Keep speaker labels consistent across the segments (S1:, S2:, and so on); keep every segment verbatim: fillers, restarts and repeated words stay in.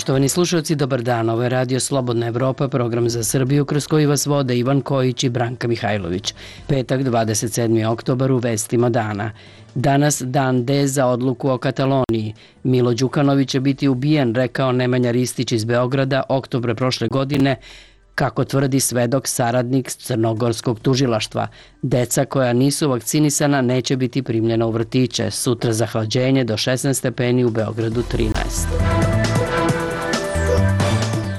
S1: Poštovani slušalci, dobar dan. Ovo je Radio Slobodna Evropa, program za Srbiju kroz koji vas vode Ivan Kojić i Branka Mihajlović. Petak, dvadeset sedmi oktobar, u vestima dana. Danas dan D za odluku o Kataloniji. Milo Đukanović će biti ubijen, rekao Nemanja Ristić iz Beograda oktobra prošle godine, kako tvrdi svedok saradnik crnogorskog tužilaštva. Deca koja nisu vakcinisana neće biti primljena u vrtiće. Sutra zahlađenje do šesnaest stepeni, u Beogradu trinaest.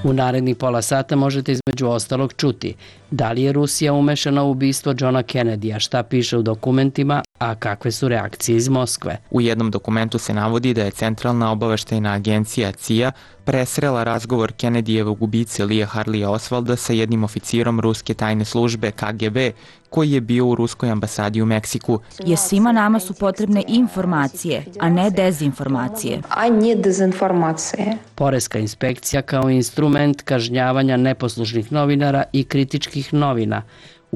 S1: U narednih pola sata možete između ostalog čuti da li je Rusija umešana u ubistvo Johna Kennedya, šta piše u dokumentima, a kakve su reakcije iz Moskve.
S2: U jednom dokumentu se navodi da je Centralna obaveštajna agencija C I A presrela razgovor Kennedyjevog ubice Lee Harleya Oswalda sa jednim oficirom ruske tajne službe K G B koji je bio u ruskoj ambasadi u Meksiku.
S3: Jer svima nama su potrebne informacije, a ne dezinformacije.
S4: A ne dezinformacije.
S1: Poreska inspekcija kao instrument kažnjavanja neposlušnih novinara i kritičkih novina.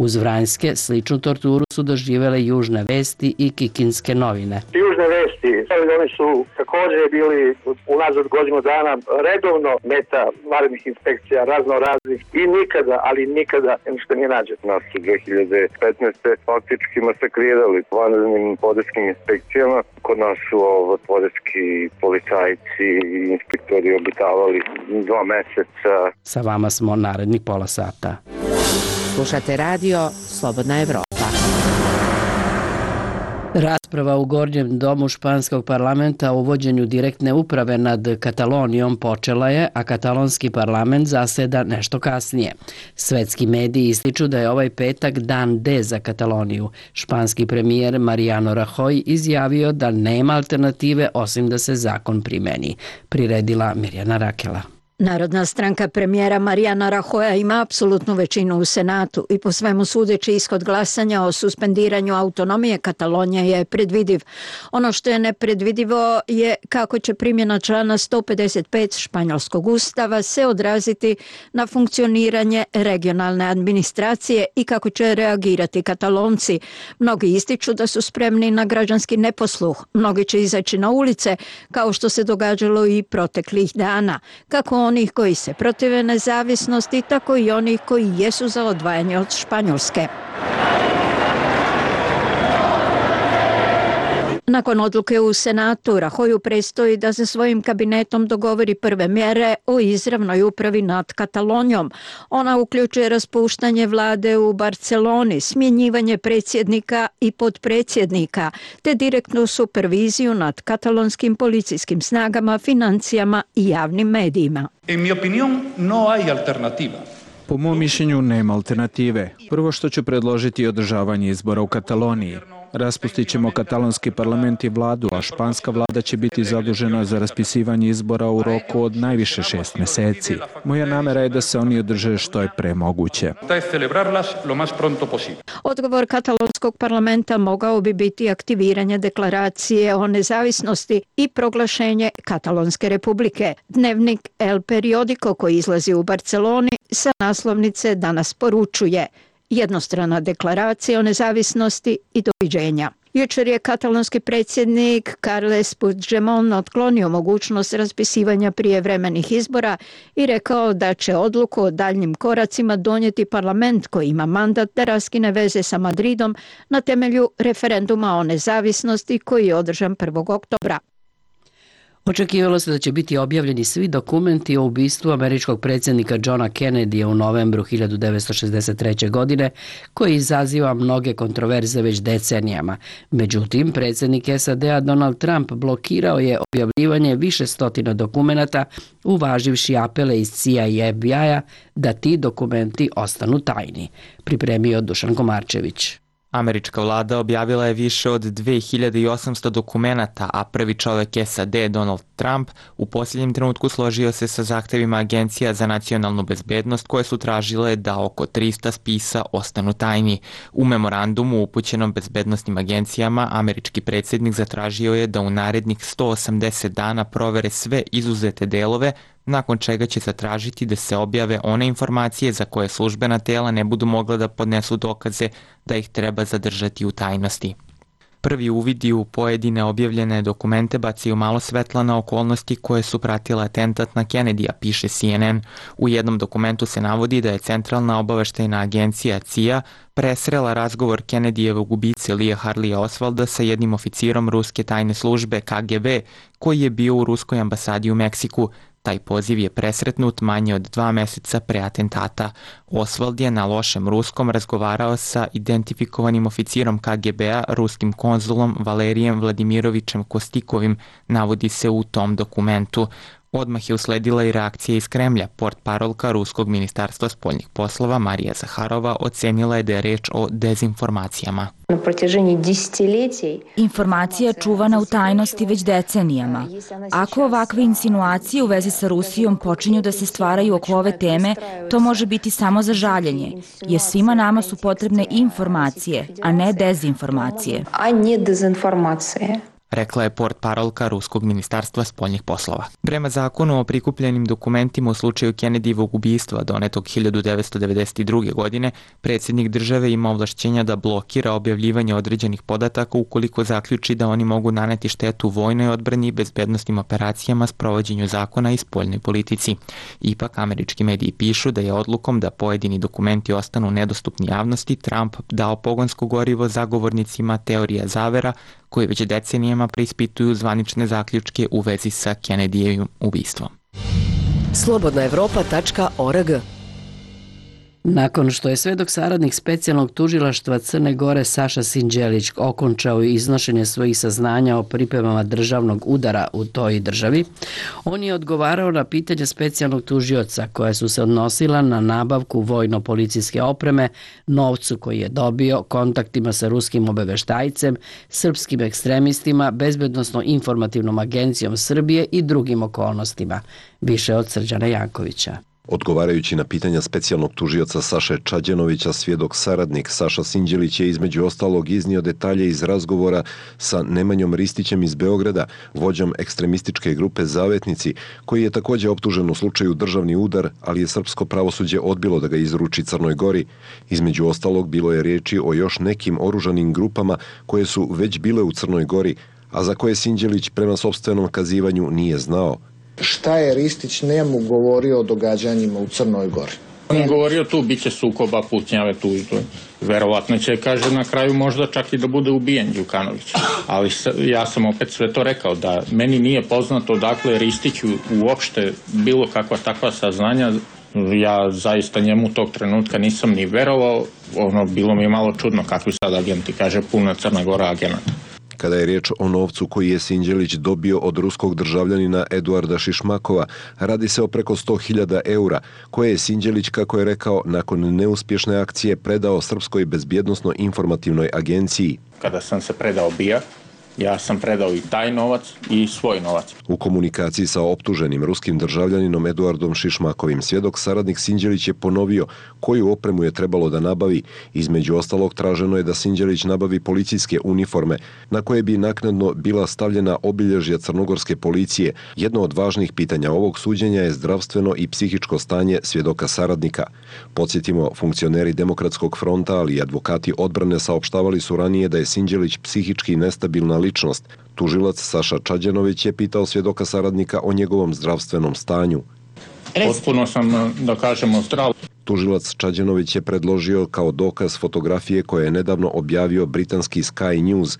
S1: Uz Vranjske sličnu torturu su doživjele Južne vesti i Kikinske novine.
S5: Južne vesti, oni su također bili unazad godinu dana redovno meta vanrednih inspekcija razno raznih i nikada, ali nikada ništa nije nađeno.
S6: Nas su dve hiljade petnaeste. faktički masakrirali vanrednim poreskim inspekcijama. Kod nas su ovo, poreski policajci i inspektori obitavali dva meseca.
S1: Sa vama smo narednih pola sata.
S7: Slušate radio Slobodna Evropa.
S1: Rasprava u Gornjem domu španskog parlamenta o uvođenju direktne uprave nad Katalonijom počela je, a katalonski parlament zaseda nešto kasnije. Svetski mediji ističu da je ovaj petak dan D za Kataloniju. Španski premijer Mariano Rajoy izjavio da nema alternative osim da se zakon primeni. Priredila Mirjana Rakela.
S8: Narodna stranka premijera Mariana Rajoya ima apsolutnu većinu u Senatu i po svemu sudeći ishod glasanja o suspendiranju autonomije Katalonije je predvidiv. Ono što je nepredvidivo je kako će primjena člana sto pedeset pet španjolskog ustava se odraziti na funkcioniranje regionalne administracije i kako će reagirati Katalonci. Mnogi ističu da su spremni na građanski neposluh. Mnogi će izaći na ulice kao što se događalo i proteklih dana. Kako onih koji se protive nezavisnosti, tako i onih koji jesu za odvajanje od Španjolske. Nakon odluke u Senatu, Rajoyu predstoji da se svojim kabinetom dogovori prve mjere o izravnoj upravi nad Katalonijom. Ona uključuje raspuštanje vlade u Barceloni, smjenjivanje predsjednika i potpredsjednika, te direktnu superviziju nad katalonskim policijskim snagama, financijama i javnim medijima.
S9: En mi opinión no hay alternativa.
S10: Po mom mišljenju nema alternative. Prvo što ću predložiti je održavanje izbora u Kataloniji. Raspustit ćemo katalonski parlament i vladu, a španska vlada će biti zadužena za raspisivanje izbora u roku od najviše šest meseci. Moja namera je da se oni održe što je pre moguće.
S8: Odgovor katalonskog parlamenta mogao bi biti aktiviranje deklaracije o nezavisnosti i proglašenje Katalonske republike. Dnevnik El Periodico koji izlazi u Barceloni sa naslovnice danas poručuje: jednostrana deklaracija o nezavisnosti i doviđenja. Jučer je katalonski predsjednik Carles Puigdemont otklonio mogućnost raspisivanja prijevremenih izbora i rekao da će odluku o daljnjim koracima donijeti parlament koji ima mandat da raskine veze sa Madridom na temelju referenduma o nezavisnosti koji je održan prvog oktobra.
S1: Očekivalo se da će biti objavljeni svi dokumenti o ubistvu američkog predsjednika Johna Kennedya u novembru hiljadu devetsto šezdeset treće. godine, koji izaziva mnoge kontroverze već decenijama. Međutim, predsjednik S A D-a Donald Trump blokirao je objavljivanje više stotina dokumenata, uvaživši apele iz C I A i F B I-a da ti dokumenti ostanu tajni. Pripremio Dušan Komarčević.
S2: Američka vlada objavila je više od dve hiljade osamsto dokumenata, a prvi čovjek S A D, Donald Trump, u posljednjem trenutku složio se sa zahtevima Agencija za nacionalnu bezbednost koje su tražile da oko trista spisa ostanu tajni. U memorandumu upućenom bezbednostnim agencijama, američki predsjednik zatražio je da u narednih sto osamdeset dana provere sve izuzete delove, nakon čega će zatražiti da se objave one informacije za koje službena tela ne budu mogla da podnesu dokaze da ih treba zadržati u tajnosti. Prvi uvidi u pojedine objavljene dokumente bacaju malo svetla na okolnosti koje su pratile atentat na Kennedyja, piše C N N. U jednom dokumentu se navodi da je Centralna obaveštajna agencija C I A presrela razgovor Kennedyjevog ubice Lee Harleya Oswalda sa jednim oficirom ruske tajne službe K G B koji je bio u ruskoj ambasadi u Meksiku. Taj poziv je presretnut manje od dva meseca pre atentata. Oswald je na lošem ruskom razgovarao sa identifikovanim oficirom K G B-a, ruskim konzulom Valerijem Vladimirovićem Kostikovim, navodi se u tom dokumentu. Odmah je usledila i reakcija iz Kremlja. Portparolka Ruskog ministarstva spoljnih poslova Marija Zaharova ocenila je da je reč o dezinformacijama.
S3: Informacija je čuvana u tajnosti već decenijama. Ako ovakve insinuacije u vezi sa Rusijom počinju da se stvaraju oko ove teme, to može biti samo za žaljenje, jer svima nama su potrebne informacije, a ne dezinformacije.
S4: A ne dezinformacije.
S2: Rekla je portparolka Ruskog ministarstva spoljnih poslova. Prema zakonu o prikupljenim dokumentima u slučaju Kennedyjevog ubistva donetog hiljadu devetsto devedeset druge. godine, predsjednik države ima ovlašćenja da blokira objavljivanje određenih podataka ukoliko zaključi da oni mogu naneti štetu vojnoj odbrani i bezbednostnim operacijama, sprovođenju zakona i spoljnoj politici. Ipak, američki mediji pišu da je odlukom da pojedini dokumenti ostanu nedostupni javnosti Trump dao pogonsko gorivo zagovornicima teorija zavera koji već decenijama preispituju zvanične zaključke u vezi sa Kennedyjevim ubistvom.
S7: slobodna evropa tačka org.
S1: Nakon što je svedok saradnik specijalnog tužilaštva Crne Gore Saša Sinđelić okončao iznošenje svojih saznanja o pripremama državnog udara u toj državi, on je odgovarao na pitanja specijalnog tužioca koja su se odnosila na nabavku vojno-policijske opreme, novcu koji je dobio, kontaktima sa ruskim obaveštajcem, srpskim ekstremistima, bezbednosno-informativnom agencijom Srbije i drugim okolnostima. Više od Srđana Jankovića.
S11: Odgovarajući na pitanja specijalnog tužioca Saše Čađenovića, svjedok saradnik Saša Sinđelić je između ostalog iznio detalje iz razgovora sa Nemanjom Ristićem iz Beograda, vođom ekstremističke grupe Zavetnici, koji je također optužen u slučaju državni udar, ali je srpsko pravosuđe odbilo da ga izruči Crnoj Gori. Između ostalog bilo je riječi o još nekim oružanim grupama koje su već bile u Crnoj Gori, a za koje Sinđelić prema sopstvenom kazivanju nije znao.
S12: Šta je Ristić njemu govorio o događanjima u Crnoj Gori?
S13: On je govorio tu, bit će sukoba, pucnjave, tužbe. Verovatno će, kaže, na kraju možda čak i da bude ubijen Đukanović. Ali ja sam opet sve to rekao, da meni nije poznato odakle Ristiću uopšte bilo kakva takva saznanja. Ja zaista njemu tog trenutka nisam ni verovao. Ono, bilo mi je malo čudno kakvi sad agenti, kaže, puna Crna Gora agenata.
S11: Kada je riječ o novcu koji je Sinđelić dobio od ruskog državljanina Eduarda Šišmakova, radi se o preko sto hiljada eura, koje je Sinđelić, kako je rekao, nakon neuspješne akcije predao Srpskoj bezbjednosno-informativnoj agenciji.
S13: Kada sam se predao B I A, ja sam predao i taj novac i svoj novac.
S11: U komunikaciji sa optuženim ruskim državljaninom Eduardom Šišmakovim, svjedok saradnik Sinđelić je ponovio koju opremu je trebalo da nabavi. Između ostalog traženo je da Sinđelić nabavi policijske uniforme na koje bi naknadno bila stavljena obilježja crnogorske policije. Jedno od važnih pitanja ovog suđenja je zdravstveno i psihičko stanje svjedoka saradnika. Podsjetimo, funkcioneri Demokratskog fronta, ali i advokati odbrane saopštavali su ranije da je Sinđelić psihički nestabilna ličnost. Tužilac Saša Čađenović je pitao svjedoka saradnika o njegovom zdravstvenom stanju.
S13: Potpuno sam, da kažemo, zdrav.
S11: Tužilac Čađenović je predložio kao dokaz fotografije koje je nedavno objavio britanski Sky News,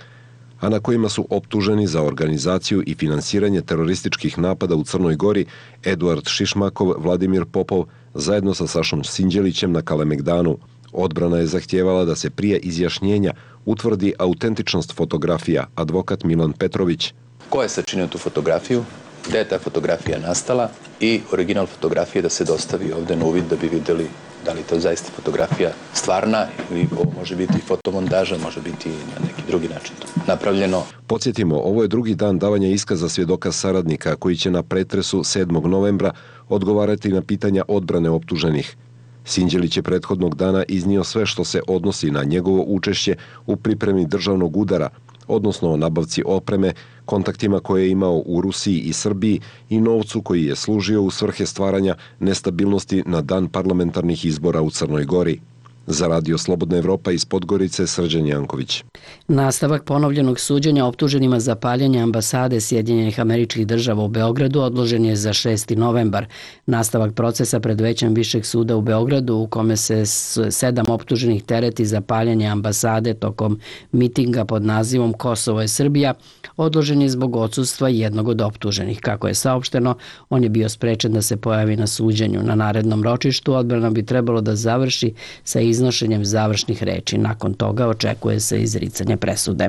S11: a na kojima su optuženi za organizaciju i finansiranje terorističkih napada u Crnoj Gori Eduard Šišmakov, Vladimir Popov, zajedno sa Sašom Sinđelićem na Kalemegdanu. Odbrana je zahtijevala da se prije izjašnjenja utvrdi autentičnost fotografija, advokat Milan Petrović.
S14: Ko je sačinio tu fotografiju, gde je ta fotografija nastala i original fotografije da se dostavi ovde na uvid da bi vidjeli da li to zaista fotografija stvarna ili ovo može biti fotomontaža, može biti na neki drugi način napravljeno.
S11: Podsjetimo, ovo je drugi dan davanja iskaza svjedoka saradnika koji će na pretresu sedmog novembra odgovarati na pitanja odbrane optuženih. Sinđelić je prethodnog dana iznio sve što se odnosi na njegovo učešće u pripremi državnog udara, odnosno o nabavci opreme, kontaktima koje je imao u Rusiji i Srbiji i novcu koji je služio u svrhe stvaranja nestabilnosti na dan parlamentarnih izbora u Crnoj Gori. Za Radio Slobodna Evropa iz Podgorice, Srđan Janković.
S1: Nastavak ponovljenog suđenja optuženima za paljenje ambasade Sjedinjenih Američkih Država u Beogradu odložen je za šesti novembar. Nastavak procesa pred većem Višeg suda u Beogradu, u kome se sedam optuženih tereti za paljenje ambasade tokom mitinga pod nazivom Kosovo je Srbija, odložen je zbog odsustva jednog od optuženih. Kako je saopšteno, on je bio sprečen da se pojavi na suđenju. Na narednom ročištu odbrana bi trebalo da završi sa iznošenjem završnih reči. Nakon toga očekuje se izricanje presude.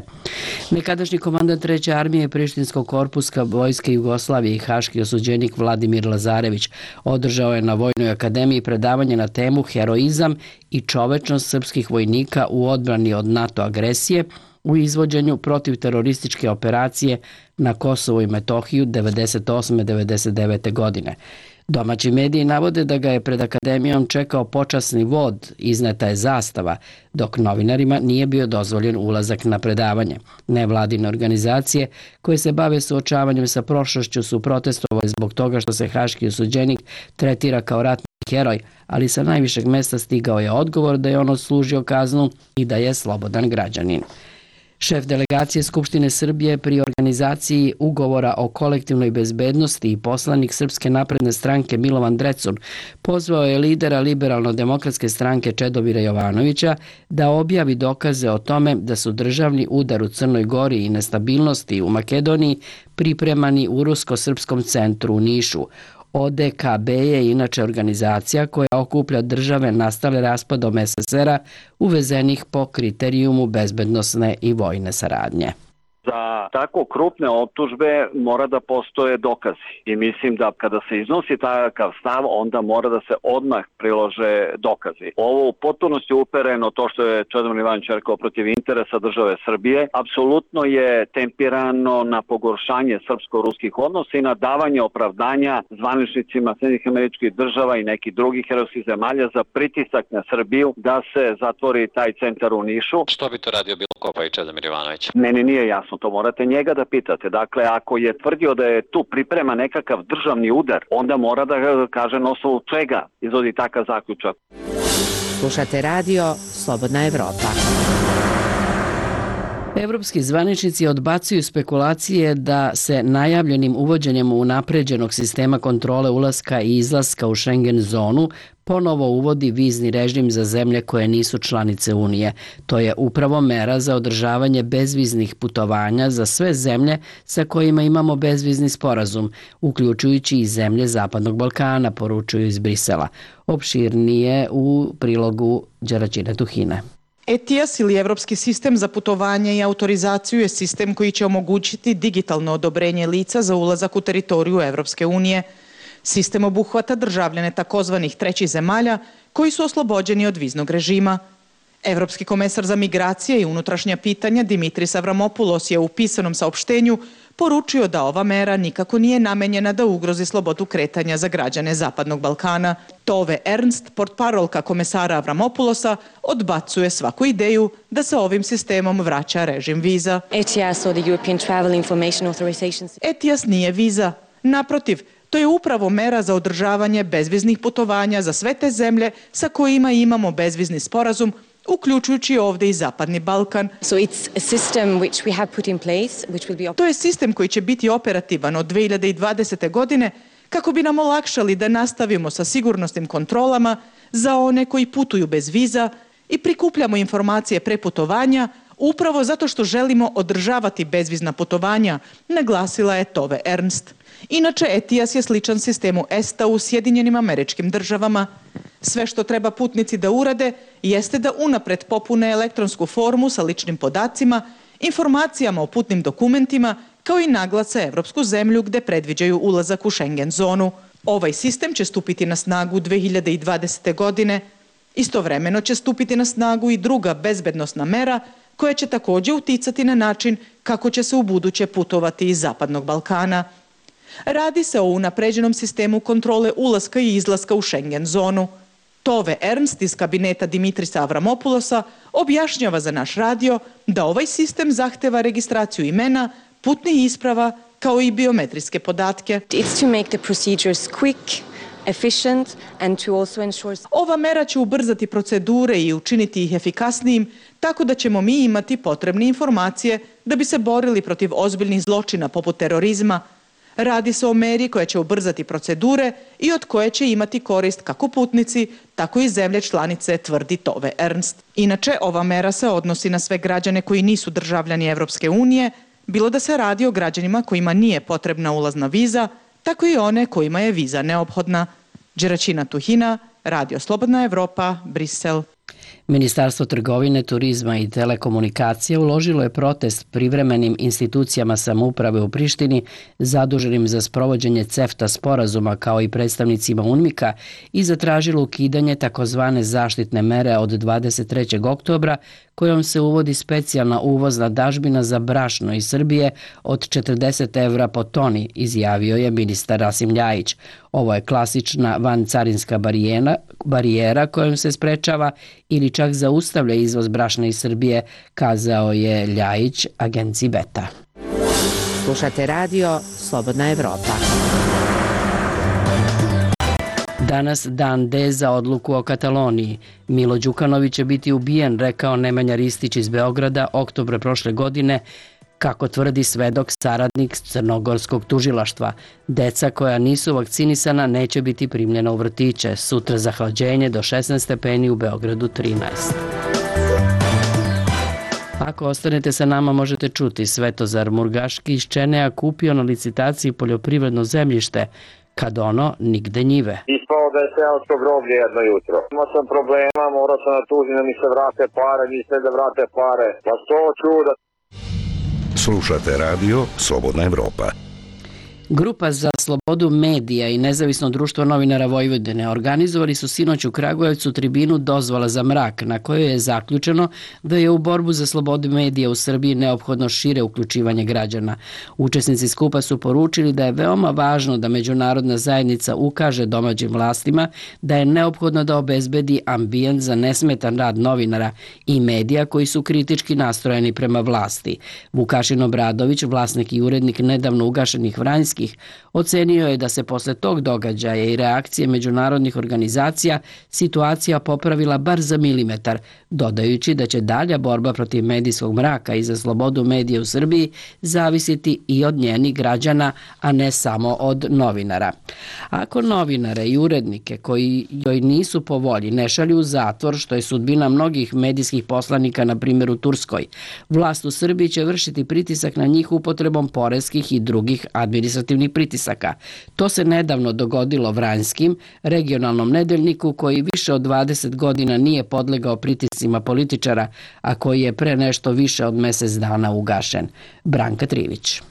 S1: Nekadašnji komandant treće armije Prištinskog korpuska Vojske Jugoslavije i haški osuđenik Vladimir Lazarević održao je na Vojnoj akademiji predavanje na temu Heroizam i čovečnost srpskih vojnika u odbrani od NATO agresije u izvođenju protivterorističke operacije na Kosovu i Metohiju devedeset osme devedeset devete godine. Domaći mediji navode da ga je pred akademijom čekao počasni vod, izneta je zastava, dok novinarima nije bio dozvoljen ulazak na predavanje. Nevladine organizacije koje se bave suočavanjem sa prošlošću su protestovali zbog toga što se haški osuđenik tretira kao ratni heroj, ali sa najvišeg mesta stigao je odgovor da je on odslužio kaznu i da je slobodan građanin. Šef delegacije Skupštine Srbije pri organizaciji ugovora o kolektivnoj bezbednosti i poslanik Srpske napredne stranke Milovan Drecun pozvao je lidera Liberalno-demokratske stranke Čedomira Jovanovića da objavi dokaze o tome da su državni udar u Crnoj Gori i nestabilnosti u Makedoniji pripremani u Rusko-srpskom centru u Nišu. O D K B je inače organizacija koja okuplja države nastale raspadom S S R-a uvezenih po kriterijumu bezbednosne i vojne saradnje.
S15: Za tako krupne optužbe mora da postoje dokazi i mislim da kada se iznosi takav stav onda mora da se odmah prilože dokazi. Ovo u potpunosti upereno to što je Čedomir Jovanović rekao protiv interesa države Srbije, apsolutno je tempirano na pogoršanje srpsko-ruskih odnosa i na davanje opravdanja zvaničnicima Sjedinjenih Američkih Država i nekih drugih evropskih zemalja za pritisak na Srbiju da se zatvori taj centar u Nišu.
S16: Što bi to radio Bilo Kopa i Čedomir Jovanović?
S15: Meni nije jasno. To morate njega da pitate. Dakle, ako je tvrdio da je tu priprema nekakav državni udar, onda mora da kaže na osnovu čega izvodi takav zaključak.
S17: Slušate radio Slobodna Evropa.
S1: Evropski zvaničnici odbacuju spekulacije da se najavljenim uvođenjem unapređenog sistema kontrole ulaska i izlaska u Schengen zonu ponovo uvodi vizni režim za zemlje koje nisu članice Unije. To je upravo mera za održavanje bezviznih putovanja za sve zemlje sa kojima imamo bezvizni sporazum, uključujući i zemlje Zapadnog Balkana, poručuju iz Brisela. Opširnije u prilogu Đeraćine Tuhine.
S18: E T I A S ili Evropski sistem za putovanje i autorizaciju je sistem koji će omogućiti digitalno odobrenje lica za ulazak u teritoriju Evropske unije. Sistem obuhvata državljane takozvanih trećih zemalja koji su oslobođeni od viznog režima. Evropski komesar za migracije i unutrašnja pitanja Dimitris Avramopoulos je u pisanom saopštenju poručio da ova mera nikako nije namenjena da ugrozi slobodu kretanja za građane Zapadnog Balkana. Tove Ernst, portparolka komesara Avramopoulosa, odbacuje svaku ideju da se ovim sistemom vraća režim viza.
S19: E T I A S or the European Travel Information Authorization.
S18: E T I A S nije viza. Naprotiv, to je upravo mera za održavanje bezviznih putovanja za sve te zemlje sa kojima imamo bezvizni sporazum, uključujući ovdje i Zapadni Balkan.
S19: So it's a system which we have put in place, which will be...
S18: To je sistem koji će biti operativan od dve hiljade dvadesete. godine kako bi nam olakšali da nastavimo sa sigurnosnim kontrolama za one koji putuju bez viza i prikupljamo informacije pre putovanja upravo zato što želimo održavati bezvizna putovanja, naglasila je Tove Ernst. Inače, E T I A S je sličan sistemu E S T A u Sjedinjenim Američkim Državama. Sve što treba putnici da urade jeste da unapred popune elektronsku formu sa ličnim podacima, informacijama o putnim dokumentima, kao i naglase evropsku zemlju gde predviđaju ulazak u Schengen zonu. Ovaj sistem će stupiti na snagu dve hiljade dvadesete. godine. Istovremeno će stupiti na snagu i druga bezbednosna mera koja će također uticati na način kako će se u buduće putovati iz Zapadnog Balkana. Radi se o unapređenom sistemu kontrole ulaska i izlaska u Schengen zonu. Tove Ernst iz kabineta Dimitrisa Avramopoulosa objašnjava za naš radio da ovaj sistem zahteva registraciju imena, putnih isprava kao i biometrijske podatke.
S19: It's to make the procedures quick, efficient and to also ensure...
S18: Ova mera će ubrzati procedure i učiniti ih efikasnijim, tako da ćemo mi imati potrebne informacije da bi se borili protiv ozbiljnih zločina poput terorizma. Radi se o meri koja će ubrzati procedure i od koje će imati korist kako putnici, tako i zemlje članice, tvrdi Tove Ernst. Inače, ova mera se odnosi na sve građane koji nisu državljani Evropske unije, bilo da se radi o građanima kojima nije potrebna ulazna viza, tako i one kojima je viza neophodna. Đeračina Tuhina, Radio Slobodna Evropa, Brisel.
S1: Ministarstvo trgovine, turizma i telekomunikacije uložilo je protest privremenim institucijama samouprave u Prištini zaduženim za sprovođenje CEFTA sporazuma kao i predstavnicima UNMIK-a i zatražilo ukidanje takozvane zaštitne mere od dvadeset trećeg oktobra kojom se uvodi specijalna uvozna dažbina za brašno iz Srbije od četrdeset evra po toni, izjavio je ministar Rasim Ljajić. Ovo je klasična vancarinska barijera, barijera kojom se sprečava ili čak zaustavlja izvoz brašna iz Srbije, kazao je Ljajić agenciji Beta.
S17: Slušate radio Slobodna Evropa.
S1: Danas dan D za odluku o Kataloniji. Milo Đukanović će biti ubijen, rekao Nemanja Ristić iz Beograda oktobra prošle godine, kako tvrdi svedok saradnik crnogorskog tužilaštva. Deca koja nisu vakcinisana neće biti primljena u vrtiće. Sutra zahlađenje do šesnaest stepeni, u Beogradu trinaest. Ako ostanete sa nama možete čuti Svetozar Murgaški iz Čenea kupio na licitaciji poljoprivredno zemljište, kad ono nigde njive.
S6: Ispao da je seosko groblje jedno jutro. Imao sam problema, morao sam da tužim da mi se vrate pare, misle da vrate pare. Pa sto čuda.
S20: Slušate radio Slobodna Evropa.
S1: Grupa za slobodu medija i Nezavisno društvo novinara Vojvodine organizovali su sinoć u Kragujevcu tribinu Dozvola za mrak, na kojoj je zaključeno da je u borbu za slobodu medija u Srbiji neophodno šire uključivanje građana. Učesnici skupa su poručili da je veoma važno da međunarodna zajednica ukaže domaćim vlastima da je neophodno da obezbedi ambijent za nesmetan rad novinara i medija koji su kritički nastrojeni prema vlasti. Vukašin Obradović, vlasnik i urednik nedavno ugašenih Vranjskih, ocenio je da se posle tog događaja i reakcije međunarodnih organizacija situacija popravila bar za milimetar, dodajući da će dalja borba protiv medijskog mraka i za slobodu medija u Srbiji zavisiti i od njenih građana, a ne samo od novinara. Ako novinare i urednike koji joj nisu po volji ne šalju u zatvor, što je sudbina mnogih medijskih poslanika, na primjer u Turskoj, vlast u Srbiji će vršiti pritisak na njih upotrebom poreskih i drugih administrativnih pritisaka. To se nedavno dogodilo Vranjskim, regionalnom nedeljniku koji više od dvadeset godina nije podlegao pritiscima političara, a koji je pre nešto više od mesec dana ugašen. Branka Trivić.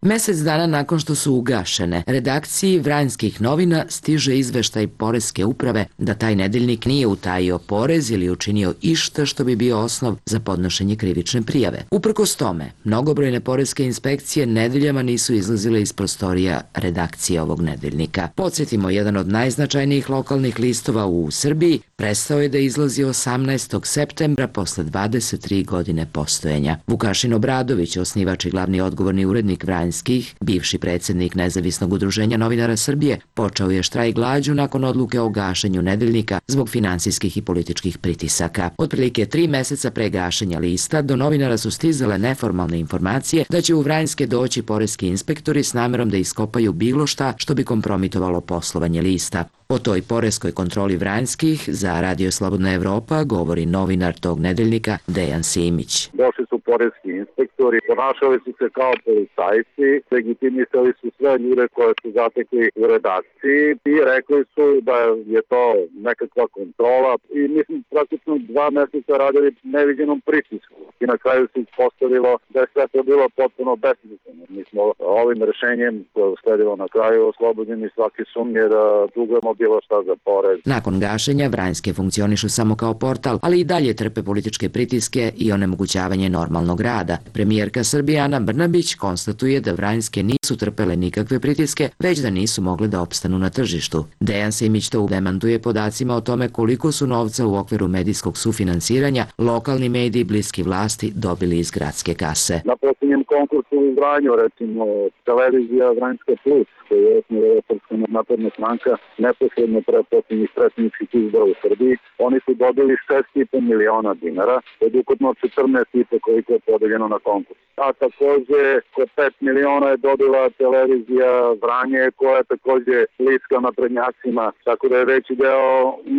S21: Mesec dana nakon što su ugašene, redakciji Vranjskih novina stiže izveštaj Poreske uprave da taj nedeljnik nije utajio porez ili učinio išta što bi bio osnov za podnošenje krivične prijave. Uprkos tome, mnogobrojne poreske inspekcije nedeljama nisu izlazile iz prostorija redakcije ovog nedeljnika. Podsjetimo, jedan od najznačajnijih lokalnih listova u Srbiji prestao je da izlazi osamnaestog septembra posle dvadeset tri godine postojanja. Vukašin Obradović, osnivač i glavni odgovorni urednik Vranjskih, bivši predsjednik Nezavisnog udruženja novinara Srbije, počeo je štrajk glađu nakon odluke o gašenju nedeljnika zbog finansijskih i političkih pritisaka. Otprilike tri meseca pre gašenja lista do novinara su stizale neformalne informacije da će u Vranjske doći poreski inspektori s namerom da iskopaju bilo šta što bi kompromitovalo poslovanje lista. O toj poreskoj kontroli Vranjskih za Radio Slobodna Evropa govori novinar tog nedeljnika Dejan Simić.
S6: Došli su poreski inspektori, ponašali su se kao policajci, legitimisali su sve ljude koje su zatekli u redakciji i rekli su da je to nekakva kontrola i mislim praktično dva meseca radili neviđenom pritisku i na kraju se ispostavilo da je sve to bilo potpuno besmisleno. Mi smo ovim rešenjem koje usledilo na kraju oslobođeni svake sumnje da dugujemo bilo šta za porez.
S21: Nakon gašenja Vranjske funkcionišu samo kao portal, ali i dalje trpe političke pritiske i onemogućavanje normalnog manualnog rada. Premijerka Srbije Ana Brnabić konstatuje da Vranjske nisu trpele nikakve pritiske, već da nisu mogle da opstanu na tržištu. Dejan Simić to demantuje podacima o tome koliko su novca u okviru medijskog sufinansiranja lokalni mediji bliski vlasti dobili iz gradske kase.
S5: Na posljednjem konkursu u Vranju, recimo televizija Vranjska plus, koji je osnovila Srpska napredna stranka, neposredno pre posljednjih predsjedničkih izbora u Srbiji, oni su dobili šest i po miliona dinara, od ukupno četrnaest i po koliko je podeljeno na konkurs. A takođe, kod pet miliona je dobila televizija Vranje, koja je takođe bliska naprednjacima, tako da je veći deo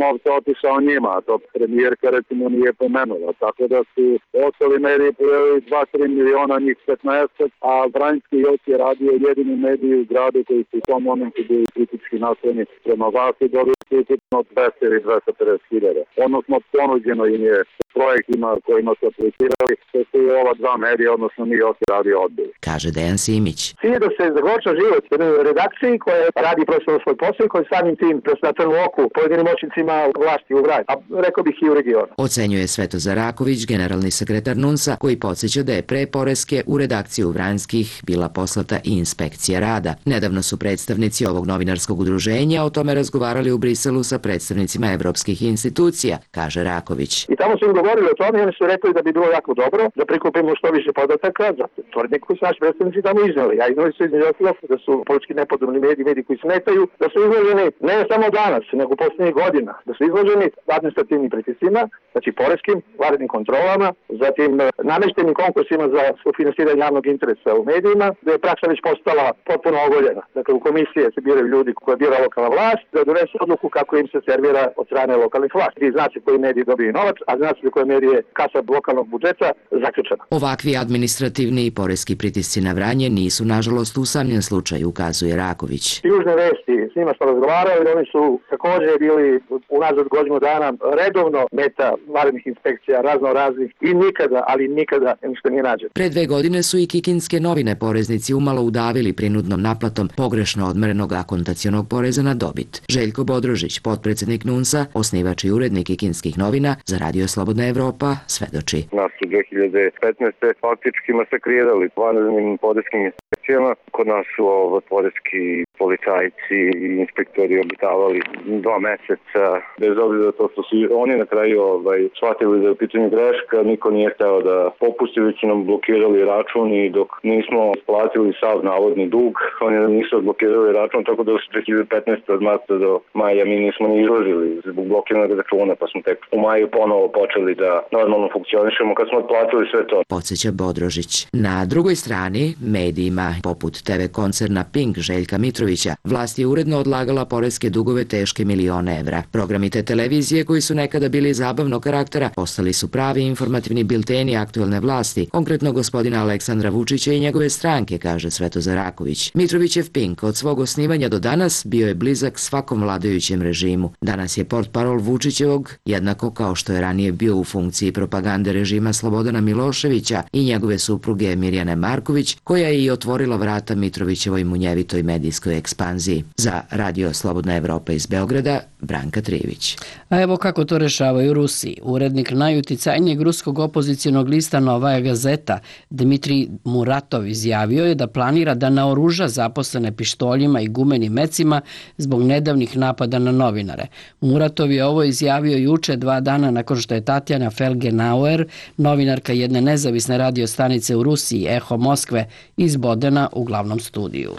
S5: novca otišao njima, a to premijerka recimo nije pomenula. Tako da su ostali mediji pojeli dva do tri miliona, njih petnaest, a Vranjski još je radio jedini mediji u gradu koji su u tom momentu bili kritički nastrojeni prema vlasti, dobili su ukupno dvesta ili dvesta pedeset hiljada. Odnosno, ponuđeno im je projektima kojima su aplicirali, to su i ova dva medija, odnosno mi još radio odbili.
S21: Kaže Dejan Simić.
S22: Cilj je da se zagorča život jednoj redakciji koja radi profesionalno svoj posao i koja samim tim na trnu oku pojedinim moćnicima vlasti u Vranju, a rekao bih i u regionu.
S21: Ocenjuje Svetozar Raković, generalni sekretar NUNS-a, koji podsjeća da je pre poreske u redakciju Vranjskih bila poslata i inspekcija rada. Nedavno su predstavnici ovog novinarskog udruženja o tome razgovarali u Briselu sa predstavnicima evropskih institucija, kaže Raković.
S22: I tamo su im govorili o tome i oni su rekli da bi bilo jako dobro da prikupimo što više podataka za tvrdnje koji su naši predstavnici tamo iznali. A iznali su između ostalog da su politički nepodobni mediji, mediji koji smetaju, da su izloženi ne samo danas, nego u poslednjih godina, da su izloženi administrativnim pritiscima, znači poreskim, vanrednim kontrolama, zatim nameštenim konkursima za sufinansiranje javnog interesa u medijima, da je praksa već postala potpuno ogoljena. Dakle, u komisije se biraju ljudi koje bira lokalna vlast, da donesu odluku kako im se servira od strane lokalnih vlasti. Vi znate koji mediji dobiju novac, a znate koje mediji je kasa lokalnog budžeta zaključena.
S21: Ovakvi administrativni i poreski pritisci na Vranje nisu, nažalost, usamljen slučaj, ukazuje Raković.
S22: Južne vesti, s njima smo razgovarali, oni su također bili unazad godinu dana redovno meta vanrednih inspekcija razno raznih i nikada, ali nikada ništa nije nađeno.
S21: Pre dve godine su i kikinske novine poreznici umalo udavili prinudnom naplatom pogrešno odmerenog akontacionog poreza na dobit. Željko Bodrožić, potpredsednik NUNS-a, osnivač i urednik kikinskih novina, za Radio Slobodna Evropa, svedoči.
S6: Nas su dve hiljade petnaeste. faktički masakrirali vanrednim poreskim inspekcijama. Kod nas su ovo poreski policajci i inspektori obitavali dva meseca. Bez obzira to što su oni na kraju ovaj, shvatili da je u pitanju greška, niko nije hteo da popusti, već nam blokirali račun i dok nismo splatili sav navodni dug, oni nam nisu odblokirali račun, tako da u dve hiljade petnaeste. od marta do maja mi nismo ni izložili zbog blokiranog računa, pa smo tek u maju ponovo počeli da normalno funkcionišemo kad smo otplatili sve to.
S21: Podsjeća Bodrožić. Na drugoj strani, medijima poput te ve koncerna Pink Željka Mitrovića, vlast je uredno odlagala poreske dugove teške milione evra. Programi te televizije koji su nekada bili zabavnog karaktera postali su pravi informativni bilteni aktuelne vlasti, konkretno gospodina Aleksandra Vučića i njegove stranke, kaže Svetozar Raković. Mitrovićev Pink od svog osnivanja do danas bio je blizak svakom vladajućem režimu. Danas je portparol Vučićevog, jednako kao što je ranije bio u funkciji propagande režima Slobodana Miloševića i njegove supruge Mirjane Marković, koja je i otvorila vrata Mitrovićevoj munjevitoj medijskoj ekspanziji. Za Radio Slobodna Evropa iz Beograda, Branka Trivić.
S1: A evo kako to rešavaju u Rusiji. Urednik najuticajnijeg ruskog opozicionog lista Novaja Gazeta, Dmitrij Muratov, izjavio je da planira da naoruža zaposlene pištoljima i gumenim mecima zbog nedavnih napada na novinare. Muratov je ovo izjavio juče, dva dana nakon što je Tatjana Felgenauer, novinarka jedne nezavisne radio stanice u Rusiji, Eho Moskve, izbodena u glavnom studiju.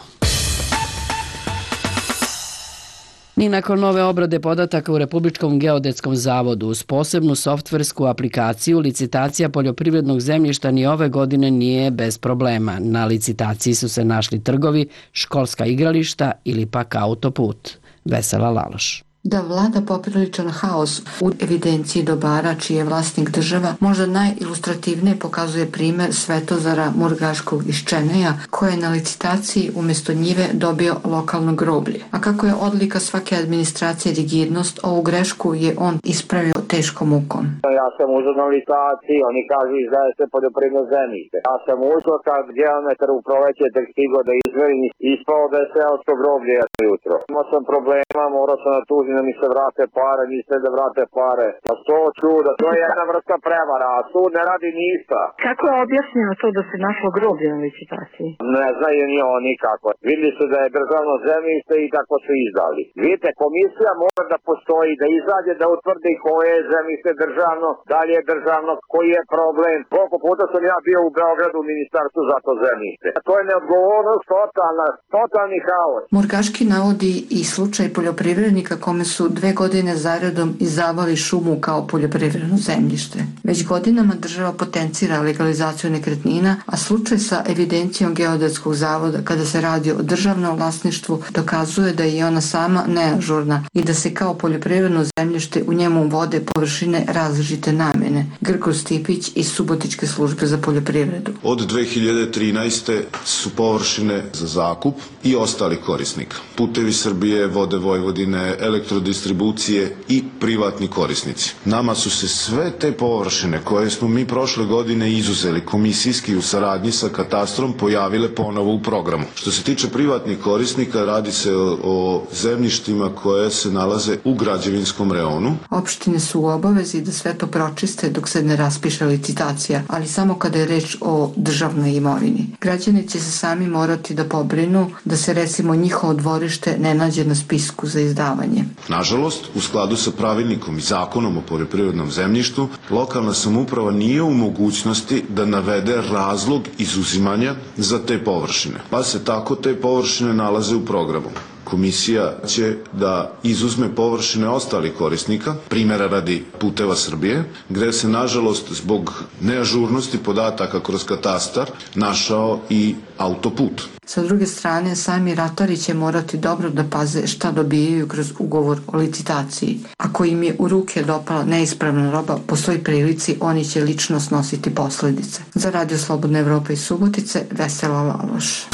S1: Ni nakon nove obrade podataka u Republičkom geodetskom zavodu uz posebnu softversku aplikaciju, licitacija poljoprivrednog zemljišta ni ove godine nije bez problema. Na licitaciji su se našli trgovi, školska igrališta ili pak autoput. Vesela Laloš.
S23: Da vlada popriličan haos u evidenciji dobara čiji je vlasnik država, možda najilustrativnije pokazuje primer Svetozara Murgaškog iz Čeneja, koji je na licitaciji umjesto njive dobio lokalno groblje. A kako je odlika svake administracije rigidnost, ovu grešku je on ispravio teškom mukom.
S8: Ja sam uzeo na licitaciji, oni kažu izdaje se poljoprivredno zemljište. Ja sam uzeo kad geometar u proleće tek stigao da izverim i ispao da je seosko groblje jutro. Imao sam problema, morao sam da tužim da mi se vrate pare, niste da vrate pare. A to čuda, to je jedna vrsta prevara, a sud ne radi ništa.
S4: Kako je objašnjeno to da se našlo groblje na licitaciji?
S8: Ne znaju ni oni kako. Videli su da je državno zemljište i tako su izdali. Vidite, komisija mora da postoji, da izađe, da utvrdi koje je zemljište državno, da li je državno, koji je problem. Koliko puta sam ja bio u Beogradu u ministarstvu za to zemljište. To je neodgovornost, totalna, totalni haos.
S23: Murgaški navodi i slučaj poljoprivrednika kome su dve godine zaredom izdavali šumu kao poljoprivredno zemljište. Već godinama država potencira legalizaciju nekretnina, a slučaj sa evidencijom Geodetskog zavoda kada se radi o državnom vlasništvu dokazuje da je ona sama neažurna i da se kao poljoprivredno zemljište u njemu vode površine različite namjene. Grgo Stipić iz Subotičke službe za poljoprivredu.
S9: Od dve hiljade trinaeste. su površine za zakup i ostali korisnika. Putevi Srbije, Vode Vojvodine, elektrodistribucije i privatni korisnici. Nama su se sve te površine koje smo mi prošle godine izuzeli komisijski u saradnji sa katastrom pojavile ponovo u programu. Što se tiče privatnih korisnika, radi se o, o zemljištima koje se nalaze u građevinskom reonu.
S23: Opštine su u obavezi da sve to pročiste dok se ne raspiše licitacija, ali samo kada je reč o državnoj imovini. Građani će se sami morati da pobrinu da se recimo njihovo dvorište ne nađe na spisku za izdavanje.
S9: Nažalost, u skladu sa pravilnikom i zakonom o poljoprivrednom zemljištu, lokalna samouprava nije u mogućnosti da navede razlog izuzimanja za te površine, pa se tako te površine nalaze u programu. Komisija će da izuzme površine ostalih korisnika, primjera radi Puteva Srbije, gde se nažalost zbog neažurnosti podataka kroz katastar našao i autoput.
S23: Sa druge strane, sami ratari će morati dobro da paze šta dobijaju kroz ugovor o licitaciji. Ako im je u ruke dopala neispravna roba, po svoj prilici oni će lično snositi posledice. Za Radio Slobodna Evropa iz Subotice, Vesela Laloš.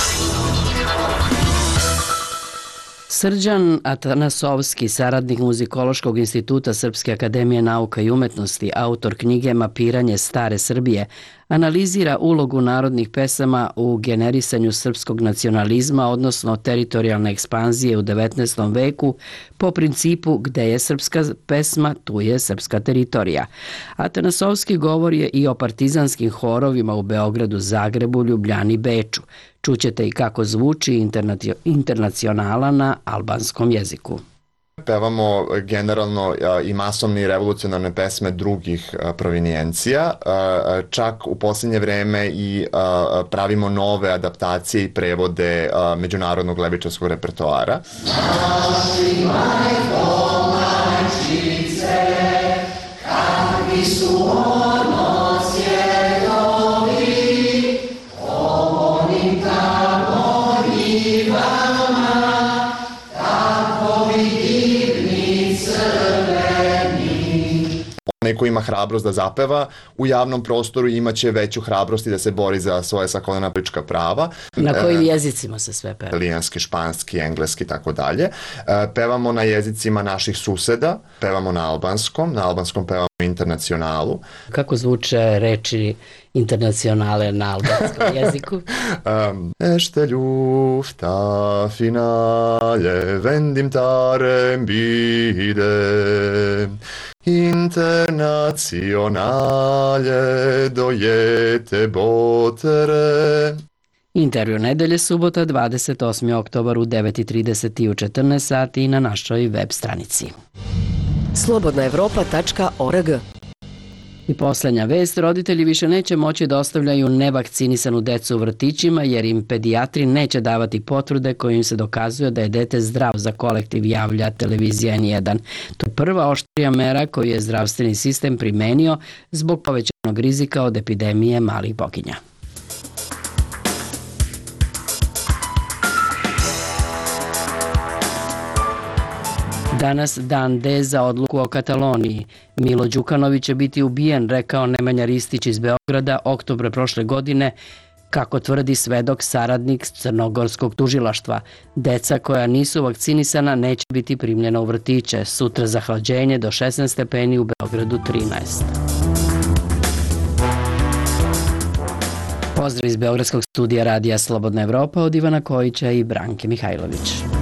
S1: Srđan Atanasovski, saradnik Muzikološkog instituta Srpske akademije nauka i umetnosti, autor knjige Mapiranje stare Srbije, analizira ulogu narodnih pesama u generisanju srpskog nacionalizma, odnosno teritorijalne ekspanzije u devetnaestom veku, po principu gde je srpska pesma, tu je srpska teritorija. Atanasovski govori i o partizanskim horovima u Beogradu, Zagrebu, Ljubljani, Beču. Čućete i kako zvuči internacionala na albanskom jeziku.
S10: Pevamo generalno i masovne i revolucionarne pesme drugih provinijencija, čak u posljednje vreme i pravimo nove adaptacije i prevode međunarodnog levičarskog repertoara. Naši majko, majčice, kakvi su ono svjetovi, onim tamo njivama, onaj ko ima hrabrost da zapeva u javnom prostoru imaće veću hrabrost i da se bori za svoje sakolena politička prava.
S1: Na kojim jezicima se sve peva?
S10: Italijanski, španski, engleski i tako dalje. Pevamo na jezicima naših suseda, pevamo na albanskom, na albanskom pevamo internacionalu.
S1: Kako zvuče reči internacionale na albanskom jeziku?
S10: um, Ešte ljufta finale vendim tarem bide internacionale dojete botere.
S1: Intervju nedelje, subota, dvadeset osmi oktobar u devet i trideset i u četrnaest sati na našoj web stranici.
S7: slobodna evropa tačka org.
S1: I poslednja vest, roditelji više neće moći da ostavljaju nevakcinisanu decu u vrtićima jer im pedijatri neće davati potvrde kojim se dokazuje da je dete zdrav, za kolektiv javlja televizija N jedan. To je prva oštrija mera koju je zdravstveni sistem primenio zbog povećanog rizika od epidemije malih boginja. Danas dan D za odluku o Kataloniji. Milo Đukanović će biti ubijen, rekao Nemanja Ristić iz Beograda oktobra prošle godine Kako tvrdi svedok saradnik crnogorskog tužilaštva, deca koja nisu vakcinisana neće biti primljena u vrtiće. Sutra zahlađenje do šesnaest stepeni, u Beogradu trinaest. Pozdrav iz Beogradskog studija Radija Slobodna Evropa od Ivana Kojića i Branke Mihajlović.